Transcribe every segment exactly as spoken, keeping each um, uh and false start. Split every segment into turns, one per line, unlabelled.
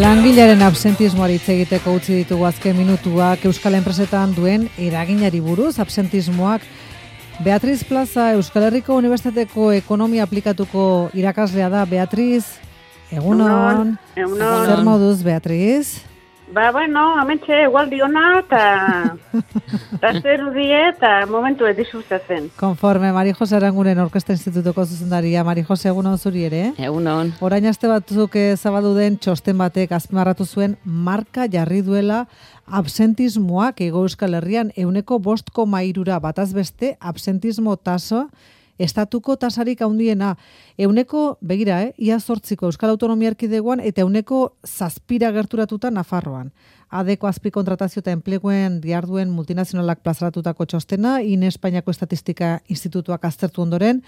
Langilaren absentismoari hitz egiteko utzi ditugu azken minutuak Euskal Enpresetan duen eraginari buruz absentismoak. Beatriz Plaza Euskal Herriko Unibertsitateko ekonomia aplikatuko irakaslea da. Beatriz, egunon.
Egunon.
Zer moduz, Beatriz?
Ba, bueno, amentxe egualdi hona, eta zer die, eta momentu ez disfrutatzen.
Konforme, Mari Jose Aranguren Orkesta Institutuko zuzendaria. Mari Jose, egunon zuri ere?
Egunon.
Orain aste batzuk zabaldu den txosten batek azpimarratu zuen marka jarri duela absentismoak Hego Euskal Herrian ehuneko bost koma hirura bataz beste absentismo tasa estatuko tasarik handiena. Ehuneko, begira, eh, ia zortziko Euskal Autonomia Erkidegoan eta ehuneko zazpira gerturatuta Nafarroan. Adeko azpikontratazio eta enpleguen diharduen multinazionalak plazaratutako txostena, INE Espainiako Estatistika Institutuak aztertu ondoren.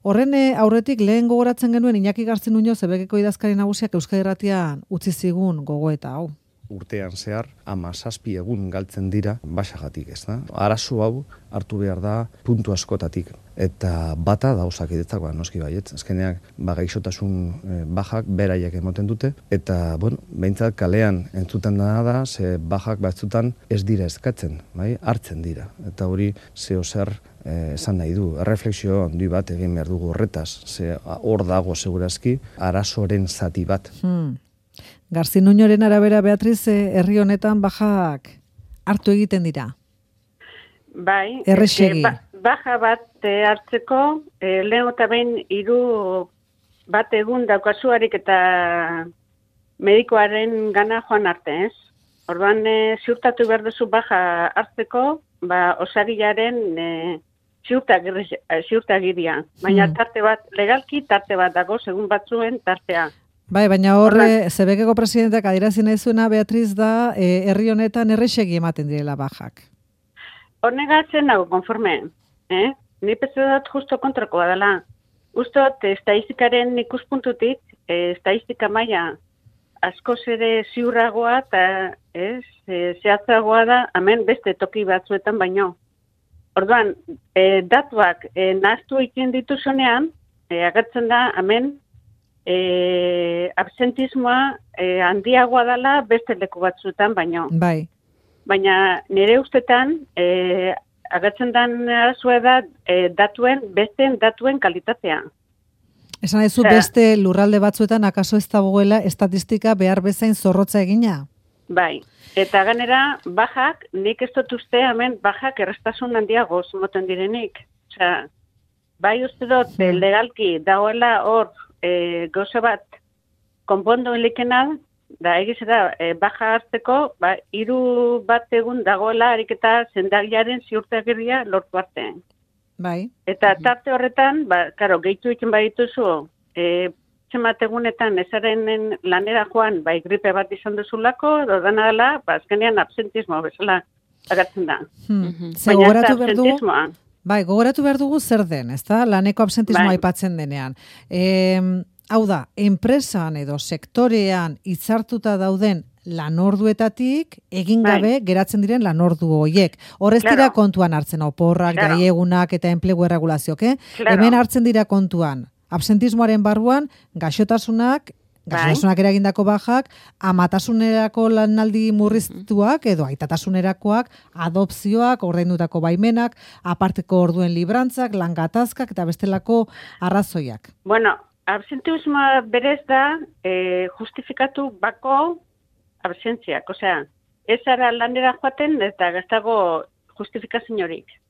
Horren aurretik lehen gogoratzen genuen Iñaki Gartzen Muñoz Ebekeko idazkari nagusiak Euskadi Irratian utzi zigun gogoeta hau.
Urtean zehar, hamazazpi egun galtzen dira basagatik, ez da? Arazo hau hartu behar da puntu askotatik. Eta bata da osakidetzak, ba, noski baiet. Azkenean, ba, gaixotasun e, bajak beraiek emoten dute. Eta, bueno, behintzat kalean entzuten dena da, ze bajak batzutan ez dira eskatzen, bai? Hartzen dira. Eta hori zeo zer e, esan nahi du. Erreflexio handi bat egin behar dugu horretaz. Ze hor dago segurazki arazoren zati bat.
Hmm. Garzin Nuñoren arabera, Beatriz, herri honetan bajak hartu egiten dira.
Bai,
Errexegi.
E, ba, baja bat e, hartzeko, e, lehen eta behin hiru bat egun daukasuarik eta medikoaren gana joan arte, ez? Orduan, e, ziurtatu behar duzu baja hartzeko, ba, osagilaren e, ziurtagiria. Baina
Hmm.
tarte bat, legalki tarte bat dago, segun batzuen tartea.
Bai, baina horre, Zebekeko presidenteak adierazi nahi zuena, Beatriz, da, e, herri honetan errexegi ematen direla bajak.
Hornegatzen nago, konforme. Eh? Ni petze dut justo kontrakoa dela. Ustot, estadistikaren ikuspuntutik, eh, estadistika maila askoz ere ziurragoa eta ez, eh, zehatzagoa da, hemen beste toki batzuetan baino. Orduan, eh, datuak eh, nahaztu egiten dituzunean, eh, agertzen da, hemen, E, absentismoa e, handiagoa dela beste leku batzuetan baino.
Bai.
Baina nire ustetan e, agertzen den arazoa da e, datuen, beste datuen kalitatea.
Esan nahi zu beste lurralde batzuetan akaso ez dagoela estatistika behar bezain zorrotza egina?
Bai. Eta ganera, bajak, nik ez dut uste hemen bajak errestasun handiago zumoten direnik. Osea, bai uste dut hmm. legalki dagoela hor E, gauza bat, konpondo enlikena, da egiz da, e, baja hartzeko, ba, hiru bat egun dagoela ariketa zendagiaren ziurtagiria lortu arte.
Bai.
Eta tarte horretan, ba, karo, gehitu ikin badituzu, e, txemat egunetan ezaren lanera joan, bai, gripe bat izan duzulako, dodana dela, ba, azkenean absentismo bezala agertzen da.
Hmm. Ze gogoratu behar dugu? Bai, gogoratu behar dugu zer den, ezta? Laneko absentismoa aipatzen denean. E, hau da, enpresan edo sektorean hitzartuta dauden lanorduetatik egin gabe bai. Geratzen diren lanordu horiek. Horrez dira claro. Kontuan hartzen, oporrak, claro. Gaiegunak eta enplegu erregulazioak, eh? Claro. Hemen hartzen dira kontuan. Absentismoaren barruan, gaixotasunak, gaixotasunak eragindako bajak, amatasunerako lanaldi murriztuak edo aitatasунerakoak, adopzioak, ordaindutako baimenak, aparteko orduen librantzak, langatazkak eta bestelako arrazoiak.
Bueno, absentismoa berez da eh, justifikatu bako absentziak. Osea, ez ara lanera joaten eta gaztago justifikaziorik.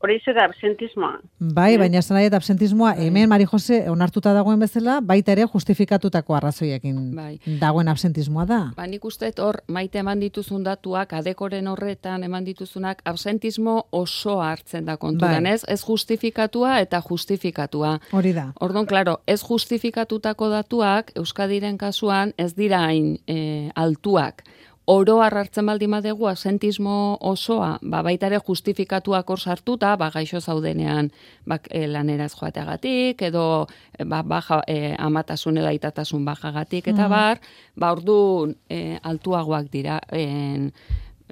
Hori da absentismoa.
Bai, baina esan nahi eta absentismoa hemen, Mari Jose, onartuta dagoen bezala, baita ere justifikatutako arrazoiekin bai. Dagoen absentismoa da.
Ba, nik uste hor, maite eman dituzun datuak, adekoren horretan eman dituzunak, absentismo osoa hartzen da kontuan, bai. ez? Ez justifikatua eta justifikatua.
Hori da.
Ordon, klaro, ez justifikatutako datuak, Euskadiren kasuan, ez dira hain e, altuak. Oro hartzen baldin badegu absentismo osoa, ba, baita ere justifikatuak hor sartuta, ba, gaixo zaudenean ba, e, laneraz joateagatik, edo ba, baja, e, amatasun edo aitatasun bajagatik, eta bar, ba, orduan e, altuagoak dira en,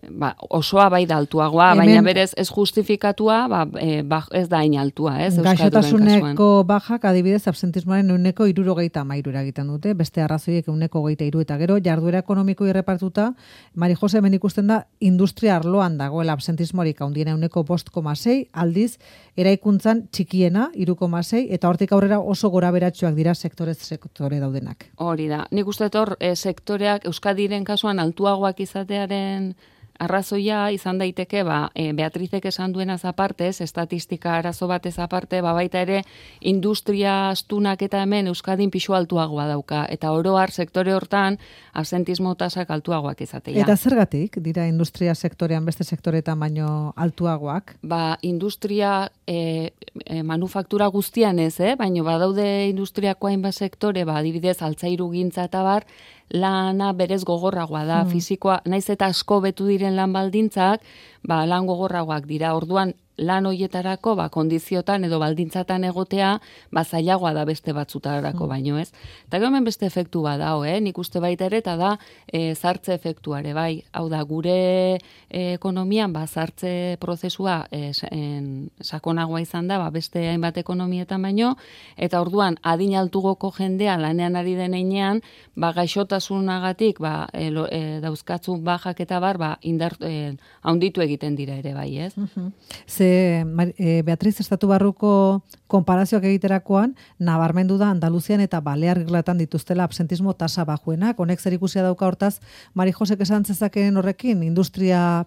ba, osoa bai da altuagoa, Hemen, baina berez ez justifikatua, ba, e, ba, ez da hain altua, ez?
Gaixotasuneko bajak adibidez absentismoaren euneko irurogeita amairu egiten dute, beste arrazoiek euneko geita iru eta gero, jarduera ekonomiko irrepartuta, Mari Jose, hemen ikusten da, industria arloan dagoela absentismorik handiena euneko bost koma sei, aldiz, eraikuntzan txikiena, iru koma sei, eta hortik aurrera oso gora beratxoak dira sektorez sektore daudenak.
Hori da, nik uste hor e, sektoreak Euskadiren kasuan altuagoak izatearen arrazoia izan daiteke, ba, e, Beatrizek esan duenaz apartez, estatistika arazo batez aparte, ba, baita ere, industria astunak eta hemen Euskadin pixu altuagoa dauka, eta oro har sektore hortan, absentismo tasak altuagoak izatea.
Eta zergatik, dira industria sektorean beste sektoretan baino altuagoak?
Ba, industria e, e, manufaktura guztian ez, eh? Baina badaude industriako hainbat sektore, ba, adibidez, altzairu gintza eta bar, lana berez gogorragoa da, mm. fizikoa, naiz eta asko betu diren lan baldintzak, ba, lan gogorragoak dira, orduan lan hoietarako, ba, kondiziotan edo baldintzatan egotea, ba, zailagoa da beste batzutarako mm. baino, ez? Eta hemen beste efektu badao, eh? Nik uste baita ere, eta da, e, zartze efektuare, bai, hau da, gure e, ekonomian, ba, zartze prozesua e, en, sakonagoa izan da, ba, beste hainbat ekonomietan baino, eta orduan, adin altugoko jendea lanean ari denean, ba, gaixotasunagatik, ba, e, lo, e, dauzkatzun bajak eta bar, ba, indar, e, haunditu egiten dira ere, bai, ez?
Mm-hmm. Ze Beatriz, estatu barruko konparazioak egiterakoan, nabarmendu da Andaluzian eta Balear Irlatan dituztela absentismo tasa bajuenak. Honek zer ikusia dauka hortaz, Mari Josek esan zezakeen horrekin, industria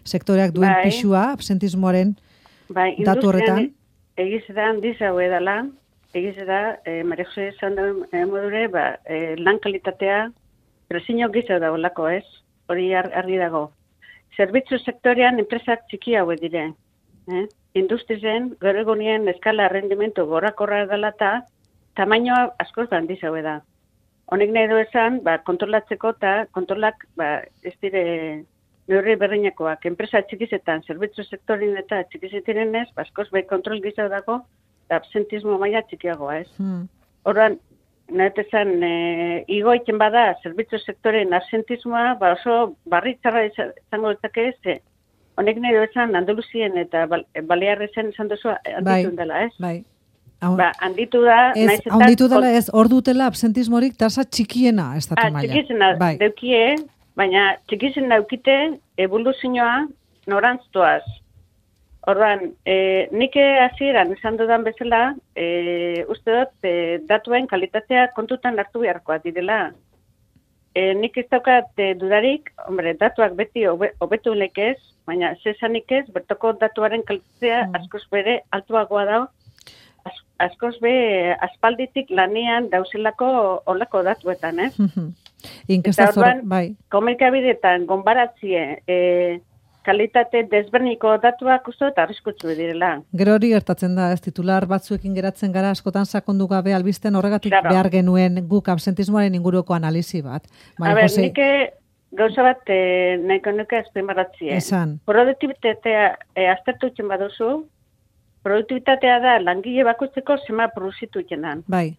sektoreak duen bai. Pixua, absentismoaren bai, datu horretan?
Egiz da, handiz hau edala, egiz da, e, Mari Jose esan da e, modure, ba, e, lan kalitatea, presino gizau da olako ez, hori argi dago. Zerbitzu sektorean enpresak txiki hauek dire. Eh? Industrizen, gaur egunien eskala rendimentu gorakorra dela eta tamainoa askoz handiz hau da. Honek nahi du esan, ba, kontrolatzeko eta kontrolak ba, ez dire neurri berdinekoak. Enpresa txikizetan, zerbitzu sektorin eta txikizetan ez, ba, askoz bai kontrol gizau dago, absentismo maila txikiagoa ez. Hmm. Horren, nahi esan, e, igoiten bada, zerbitzu sektoren absentismoa, ba, oso barri txarra izango dutake ez, honek nahi duetan Andaluzien eta Balearrezen esan duzu handitu bai, dela, ez?
Bai,
ba, handitu da...
Ez, handitu dela ez, hor dutela absentismorik tasa txikiena estatu
ah,
maila.
Txikizena bai. Deukie, baina txikizen daukite evoluzioa norantztuaz. Orduan, e, nik hasieran esan dudan bezala, e, uste dut, e, datuen kalitatea kontutan hartu beharkoa direla. E, nik ez daukat e, dudarik, hombre, datuak beti hobetu lekez, baina zesanik ez, bertoko datuaren kalitatea mm. askoz bere altuagoa dago, az, askoz be aspalditik lanean dauzelako olako datuetan, ez?
Mm-hmm. Eta orduan,
bai. Komunikabideetan, gonbaratzie, e, kalitate desberniko datuak uste eta arriskutsu direla.
Gero hori gertatzen da, ez titular batzuekin geratzen gara askotan sakondu gabe albisten horregatik claro. Behar genuen guk absentismoaren inguruko analizi bat.
A ber, Jose... nik gauza bat eh, nahiko nuke azpimarratzea.
Esan.
Produktibitatea eh, aztertu itzen baduzu, produktibitatea da langile bakoitzeko zema produzitu itzenan.
Bai.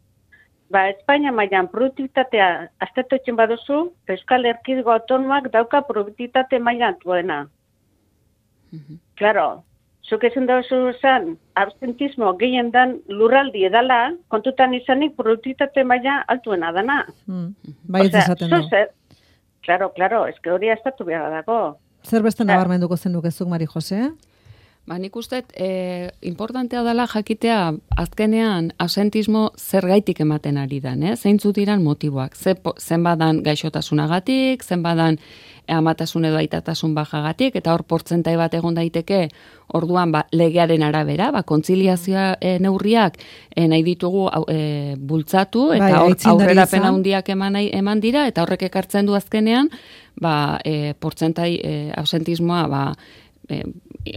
Ba, Espainia mailan produktibitatea aztertu itzen baduzu, Euskal Erkidego autonomoak dauka produktibitate maila altuena. Mm-hmm. Claro, zuk esan dauzu esan, absentismo gehien dan lurraldi edala, kontutan izanik produktibitate maila altuena dana.
Mm. Bai, ez esaten du.
Claro, claro, ez que hori aztertu behar dago.
Zer beste nabarmenduko zen dukezuk, Mari Jose?
Ba, nik uste, eh, importantea dela jakitea azkenean absentismo zergaitik ematen ari dan, eh? Zeintzut diran motiboak. Ze, zenbadan gaixotasunagatik, zenbadan amatasun edo aitatasun bajagatik, eta hor portzentai bat egon daiteke, orduan ba, legearen arabera, ba, kontziliazioa e, neurriak e, nahi ditugu e, bultzatu, eta bai, aurrerapen handiak eman, eman dira, eta horrek ekartzen du azkenean, ba, e, portzentai e, absentismoa, ba, E,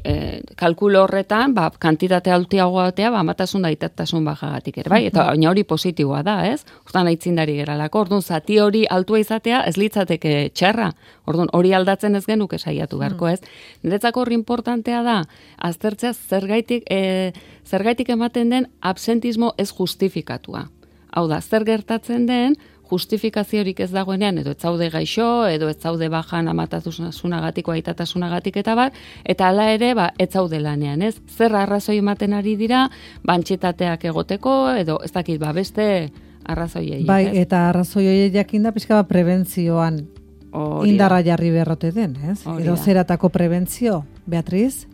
e, kalkulo horretan, ba, kantitate altiagoa batea, ba, amatasun da itatasun bajagatik ere, bai? Eta baina hori positiboa da, ez? Hortan aitzindari geralako, orduan, zati hori altua izatea, ez litzateke txarra. Orduan, hori aldatzen ez genuke saiatu beharko, ez? Niretzako hori importantea da, aztertzea zergaitik, e, zergaitik ematen den absentismo ez justifikatua. Hau da, zer gertatzen den, justifikaziorik ez dagoenean, edo ez zaude gaixo, edo ez zaude bajan amatasunagatik, aitatasunagatik eta bat, eta hala ere, ba, ez zaude lanean, ez? Zer arrazoi ematen ari dira, bantxetateak egoteko, edo ez dakit, ba, beste arrazoiei.
Bai, ez? Eta arrazoiei jakinda pixka bat prebentzioan Oria. Indarra jarri berrote den, ez? Oria. Edo zeratako prebentzio, Beatriz?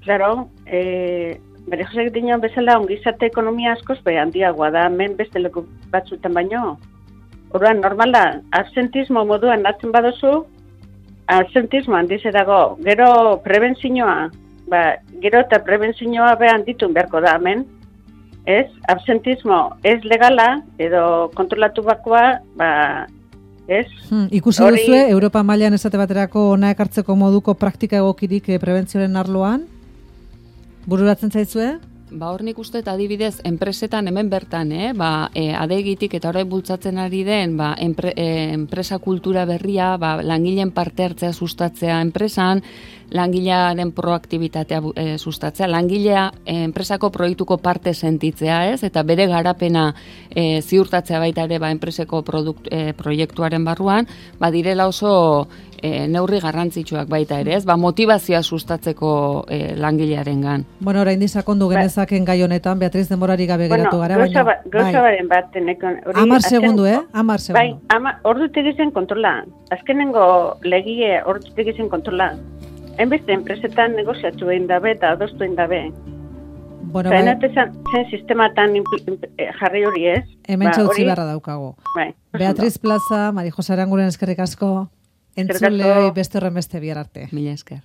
Claro, eh, bere josek dinon bezala ongizate ekonomia askoz be handiagoa da, hemen beste leku batzutan baino. Orduan, normala, absentismo moduan hartzen baduzu, absentismo handiz dago. Gero prebentzioa, ba, gero eta prebentzioa behan ditun beharko da hemen. Ez, absentismo ez legala, edo kontrolatu bakoa, ba, ez?
Hmm, ikusi Hori... duzue, Europa mailan esate baterako ona ekartzeko moduko praktika egokirik prebentzioaren arloan? Bururatzen zaizue?
Ba, hor nik uste eta adibidez, enpresetan hemen bertan, eh? ba, e, adegitik eta horrek bultzatzen ari den, ba, enpre, e, enpresa kultura berria, ba, langileen parte hartzea sustatzea enpresan, langilearen proaktibitatea e, sustatzea, langilea e, enpresako proiektuko parte sentitzea, ez? Eta bere garapena e, ziurtatzea baita ere, ba, enpreseko produkt, e, proiektuaren barruan, ba, direla oso e, neurri garrantzitsuak baita ere, ez? Ba, motivazioa sustatzeko e, langilearengan.
Bueno, orain disakondu genezaken gai honetan, Beatriz, denborari gabe geratu gara,
baina... Ba, gauza baren bat, tenekon...
Amar segundu, eh? Amar segundu.
Bai, ama, ordutik izan kontrola. Azkenengo legie ordutik izan kontrola. Enbeste enpresetan negoziatu egin dabe eta adostu egin dabe.
Bueno, bai.
Eta zen, zen sistematan jarri hori ez.
Hemen ba, txautzi barra daukago.
Bai.
Beatriz Plaza, Mari Jose Aranguren eskerrik asko, entzulei beste horren beste bihar arte.
Mila esker.